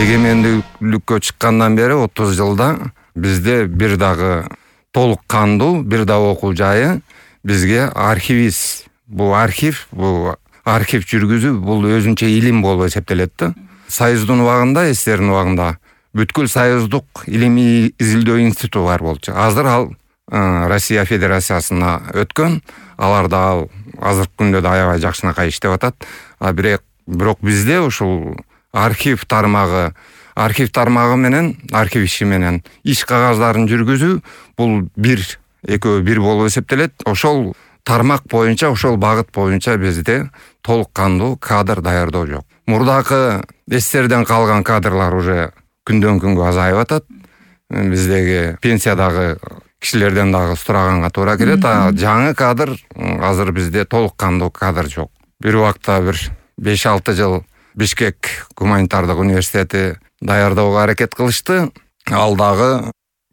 эгемендүүлүккө чыккандан бери 30 жылда бизде бир дагы толук кандуу, бир да окуу жайы бизге архивист. Бул архив жүргүзүү бул өзүнчө илим болуп эсептелет да. Союздун убагында, СССРдин убагында бүткүл союздук илимий изилдөө институту бар болчу. Азыр ал Россия Федерациясына өткөн. Алар да азыркы күндө да аябай жакшынакай иштеп атат. Бирок бизде ушул архив тармагы менен, архив иши менен иш кагаздарын жүргүзүү бул экөө бир болуп эсептелет. Ошол тармак боюнча, ошол багыт боюнча бизде толук кандуу кадр даярдоо жок. Мурдакы СССРден калган кадрлар уже күндөн күнгө азайып атат. Биздеги пенсиядагы кишилерден дагы сураганга туура келет. Жаңы кадр азыр бизде толук кандуу кадр жок. Бир убакта 5-6 жыл Бишкек гуманитардык университети даярдоого аракет кылышты. Ал дагы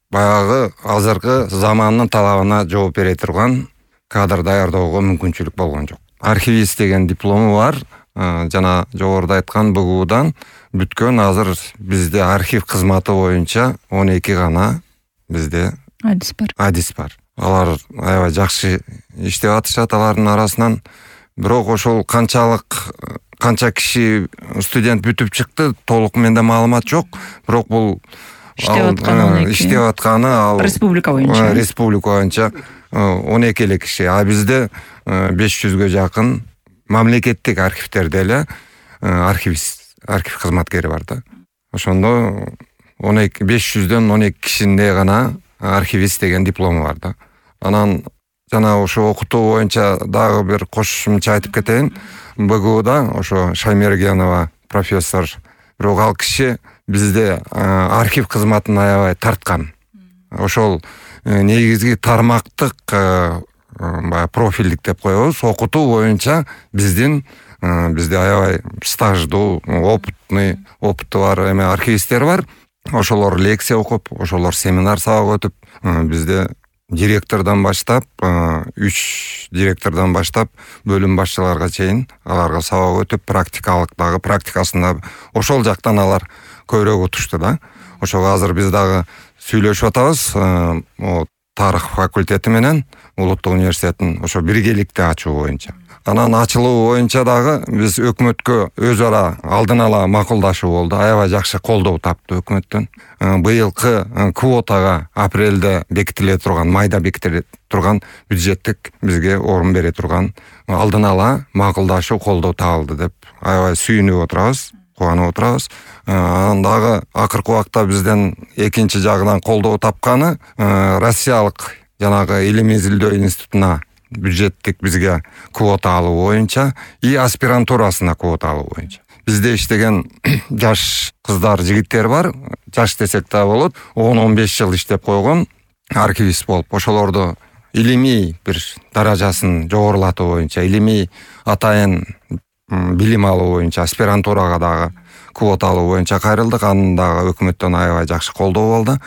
баягы азыркы замандын талабына жооп бере турган кадр даярдоого мүмкүнчүлүк болгон жок. Архивист деген диплому бар. Жана жогоруда айткан БГУдан бүткөн. Азыр бизде архив кызматы боюнча 12 гана бизде адис бар. Алар аябай жакшы иштеп атышат алардын арасынан. Бирок ошол канча киши студент бүтүп чыкты, толук менде маалымат жок. Бирок бул иштеп атканы республика боюнча 12 эле киши. Бизде 500гө жакын мамлекеттик архивтерде эле архив кызматкери бар да. Ошондо 500дөн 12 кишинде гана архивист деген диплому бар да. Анан жана ошо окутуу боюнча дагы бир кошумча айтып кетейин. БГУда ошо Шаймергенова профессор, бирок ал киши бизде архив кызматын аябай тарткан. Ошол негизги тармактык профилдик деп коебуз, окутуу боюнча бизде аябай стаждуу, опыты бар архивисттер бар. Ошолор лекция окуп, ошолор семинар сабак өтүп, бизде директордон баштап, 3 директордон баштап бөлүм башчыларга чейин аларга сабак өтүп, практикасында ошол жактан алар көбүрөөк утушту да. Ошого азыр биз дагы сүйлөшүп атабыз. Тарых факультети менен Улуттук университеттин ошо биргеликти ачуу боюнча. Анан ачылуу боюнча дагы биз өкмөткө өз ара алдын ала макулдашуу болду. Аябай жакшы колдоо тапты өкмөттөн. Быйылкы квотага апрелде бекитиле турган, майда бекитиле турган бюджеттик бизге орун бере турган алдын ала макулдашуу колдоо табылды деп аябай сүйүнүп отурабыз, кубанып отурабыз. Анан дагы акыркы убакта бизден экинчи жагынан колдоо тапканы Россиялык жанагы илим изилдөө институтуна бюджеттик бизге квота алуу боюнча и аспирантурасына квота алуу боюнча. Бизде иштеген жаш кыздар, жигиттер бар. Жаш десек да болот. 10-15 жыл иштеп койгон архивист болуп, ошолорду илимий бир даражасын жогорулатуу боюнча, илимий атайын билим алуу боюнча аспирантурага дагы квота алуу боюнча кайрылдык. Анын дагы өкмөттөн аябай жакшы колдоо болду.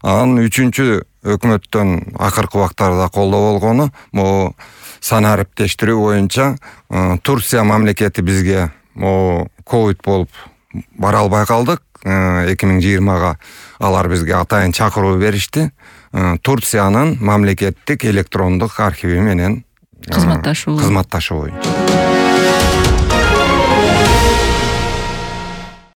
Анан үчүнчү өкмөттөн акыркы убактарда колдоо болгону могу сан ариптештирүү боюнча Турция мамлекети бизге ковид болуп бара албай калдык. 2020-га алар бизге атайын чакыруу беришти. Турциянын мамлекеттик электрондук архиви менен кызматташуу боюнча.